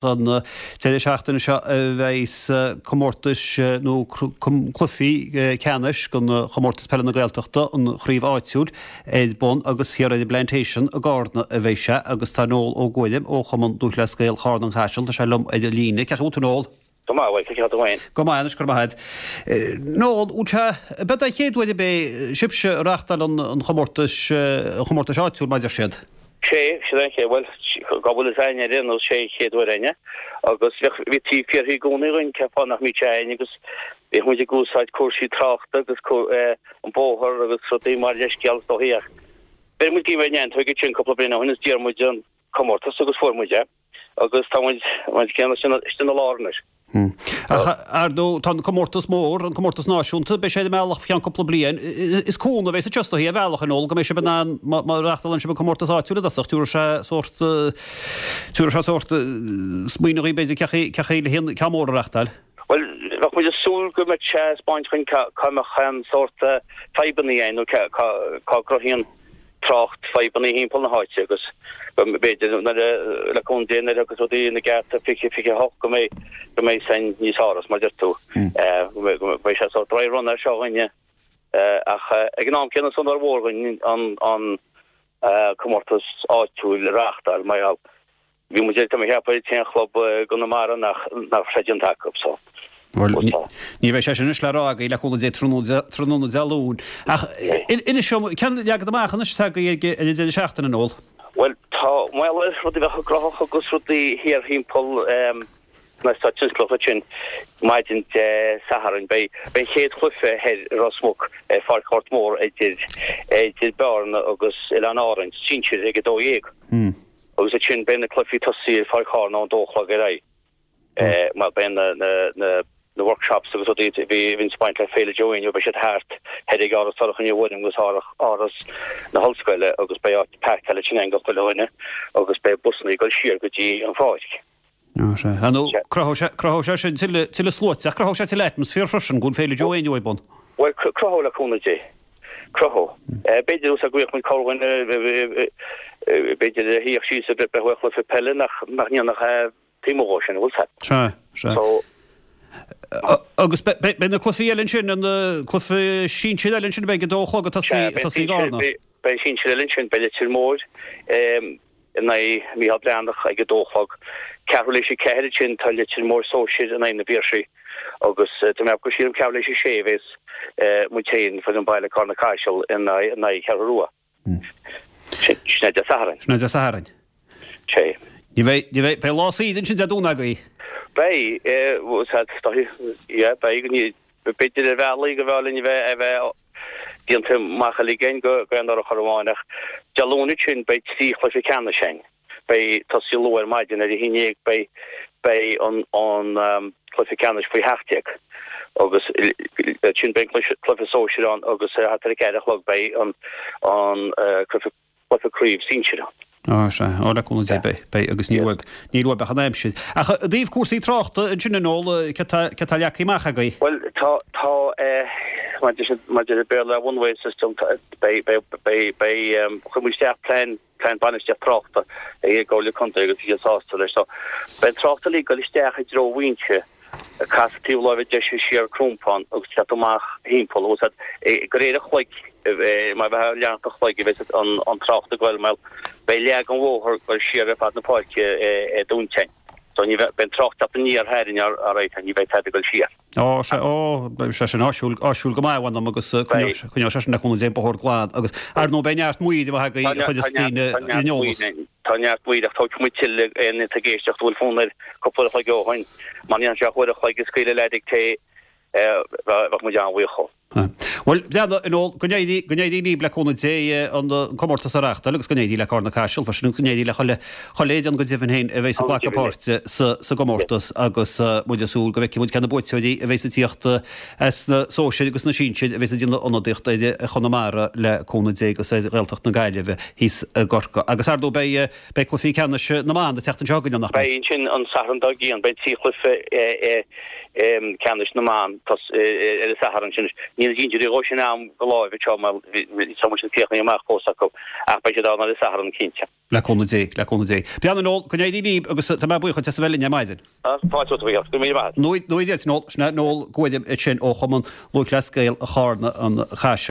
An deireadh seachtaine seo a bheidh comórtais nó cluichí ceannais den Chomórtas Peile na Gaeltachta, an chraobh áitiúil, ar bun agus thiar ar an bPlantation i gCárna a bheidh sé agus tá Noel Ó Guairim ó Chumann Lúthchleas Gael Chárna An Chaiseal, tá sé liom ar an líne. Cén chaoi a bhfuil tú Noel? Go maith, bhuel, cén chaoi a bhfuil tú féin? Go maith anois, go raibh maith agat. Noel, bhfuil sé, ab é an chéad uair ab é sibhse a reáchtáil an chomórtais, an chomórtais áitiúil mar a deir siad? Sé, sin an chéad, bhuel, go bhfuil fhios a'inn ar aon nós, sé an chéad uair a'inne agus bheadh, bhítí ag fiafraí i gcónaí dhúinn cén fáth nach mbíodh sé a'inn agus bhíodh muid ag úsáid cúrsaí tráchta agus an bóthar agus rudaí mar leithscéal is dóichí ach bheir muid giom ar an neantóig ansin cúpla bliain ó shin is d'iarr muid an comórtas agus fuair muid é agus tá muid, muid céanna istigh ina lár anois. Ach, ar ndóigh, tá an comórtas mór, an comórtas náisiúnta, beidh sé ar an mbealach faoi cheann cúpla bliain. Is cúnamh a bheas anseo is dóichí ar bhealach, a Noel, go mbeidh sibh in ann, má reáchtálann sibh an comórtas áitiúil i dtosach, tabharfaidh sé sórt, tabharfaidh sé sórt smaoineamh dhaoibh b'fhéidir cén chaoi le an ceann mór a reáchtáil. Bhuel, bheadh muid ag súil go mbeadh sé ag 'spáint dhuinn cá mbeadh aon sórt fadhbanna ann nó cá gcruthaíonn trácht fadhbanna thimpeall na háite agus go mb'fhéidir nuair a, le cúnamh Dé, nuair a thiocfas rudaí ina gceart i 2028 go mbeidh, go mbeidh san níos fearr, mar a deir tú, go mbeidh, go mbeidh sé sórt dry run air seo dhúinne ach ag an am céanna is onóir mhór dhúinn an, an comórtas áitiúil a reáchtáil mar gheall Bhí muid tá mé ag ceapadh an t-aon chlub i gConamara nach nach raibh sé déanta acu so. Bhuel, ní bheidh sé sin anois le rá agaibh le cúnamh Dé tráthnóna Dé Luain. Ach inis dom, cén leagan amach anois atá agaibh ag an deireadh seachtaine, Noel? Bhuel, tá mar gheall ar rudaí bheith gnóthach agus rudaí thiar thimpeall na eastáit tionsclaíocha ansin maidin Dé Sathairn. Beidh an chéad chluiche thoir i Ros Muc ar Pháirc Ghort Mór idir idir Bearna agus Oileáin Árainn, sinsir ag 12. Agus ansin beidh na cluichí tosaithe ar Pháirc Chárna ón dó a chlog ar aghaidh. Mar beidh na na na workshops agus rudaí a bhí a bhíonns ag baint le Féile Joe Éinniú beidh siad thart thoir ag Áras Dhorcha Ní Ghuairim agus Áras na hOllscoile agus beidh áit páirceáil ansin ag chuile dhuine agus beidh busanna ag dul siar go dtí an pháirc. Ó sea. Ar ndóigh, cruthóidh sé, cruthóidh sé sin tuilleadh, tuilleadh sluaite, ach cruthóidh sé tuilleadh atmaisféar freisin, go bhfuil Féile Joe Éinniú ar bun. Bhuel, cruthóidh le cúnamh Dé. Cruthóidh. B'fhéidir, go bhféadfadh muid corrdhuine, b'fhéidir a shuífeadh síos ag breathnú ar chluiche peile nach, nach ndéanfadh taobh amuigh dhó sin, an bhfuil 's a'd. Sea, sea. So. Agus beidh na cluichí eile ansin, na cluichí sinsir eile ansin a bheidh ag a dó a chlog ag tosaí, ag tosaí i gCarna. Beidh sinsir eile ansin, beidh Leitir Móir in aghaidh Micheál Breathnach ag a dó a chlog. Ceathrú tar éis a ceathair ansin tá Leitir Móir Sóisir in aghaidh na bPiarsaigh agus tá mé ag sílim ceathrú tar éis a sé a bheas muid féin, foireann baile Carna Caiseal in aghaidh Cheathrú Rua. Sin é Dé Sathairn. Sin é Dé Sathairn. Sé. Ní bheidh, ní bheidh, beidh lá saoire ansin Dé Domhnaigh agaibh. Beidh, yeah, beidh, b'fhéidir ar bhealaí go mb'fhearr linn a bheith, a bheith déanta amach uilig againn go aon urchar amháin ach Dé Luain ansin beidh 3 chluiche ceannais againn. Beidh tosaí luath ar maidin ar a haon dhéag beidh beidh an an cluiche ceannais faoi sheacht déag agus ansin beidh an cluiche sóisir ann agus thart ar a ceathair a chlog beidh an an cluiche cluiche craobh sinsir ann. Á, sea. Á, le cúnamh Dé, beidh, beidh, agus níl uaibh, níl uaibh ach an aimsir. Ach i dtaobh cúrsaí tráchta ansin, a Noel, céard tá, céard tá leagtha amach agaibh? Bhuel, tá, tá, eh, maidir, maidir le Béarla one way system, tá, beidh, beidh, beidh, beidh, em, chuir muid isteach plean, plean bainistíocht tráchta ag an gComhairle Contae agus bhí siad sásta leis. So, beidh an trácht uilig ag dul isteach i dtreo Mhuinseo, ag casadh taobh láimhe deise siar Crompán agus teacht amach thimpeall, bhfuil 's a'd, de réir an chloig, mar bheifeá ag leanacht an chloig a bheas an trácht ag goil, mar beidh leath den bhóthar ag goil siar ar fad na páirce i dTointeáin. So ní bheidh, beidh an trácht teacht aniar tharainn alright, ní bheidh tada ag goil siar. Ó, sea, ó, beidh sé sin áisiúil, áisiúil go maith, mh'anam, agus coinneoidh, coinneoidh sé sin le cúnamh Dé an bóthar glan agus, ar ndóigh, beidh neart maoir amuigh agaibh a chuirfeas daoine ar an eolas. Tá neart maoir ach tógfaidh muid tuilleadh éinne atá ag éisteacht a bhfuil fonn air cúpla uair a chloig ó shoin. Má ndéanann sé ach uair a chloig a scaoileadh leat ag tae, bheadh muid an-bhuíoch dhó. Bhuel, leana, a Noel, go n-éirí, go n-éirí libh le cúnamh Dé an comórtas a reáchtáil agus go n-éirí le Cárna Caiseal freisin agus go n-éirí le chuile, chuile fhoireann go deimhin féin a bheas ag glacadh páirte sa, sa gcomórtas agus muid ag súil go bhfeicfidh muid cé na buaiteoirí a bheas ag tíocht as na sóisir agus na sinsir a bheas ag déanamh ionadaíocht ar Chonamara le cúnamh Dé agus ar Ghaeltacht na Gaillimhe thíos i gCorcaigh. Agus ar ndóigh beidh, beidh cluichí ceannais na mban ag teacht anseo chugainn, nach mbeidh? Beidh ansin an Satharn dár gcionn, beidh 3 chluiche ceannais na mban ar an Satharn sin. Níl na injury dhóibh sin a'm go láimh anseo mar tá muid sin críochnaithe amach fós acu ach beidh siad ann ar an Satharn cinnte. Le cúnamh Dé, le cúnamh Dé. Breandán Noel, go n-éirí libh agus tá mé buíoch duit as a bheith linn ar maidin. Fáilte romhat a Mhícheál. Go raibh míle maith agat. Nuair a deir Noel, sin é Noel Guairim ansin ó Chumann Lúthchleas Gael Charna an Chaisil.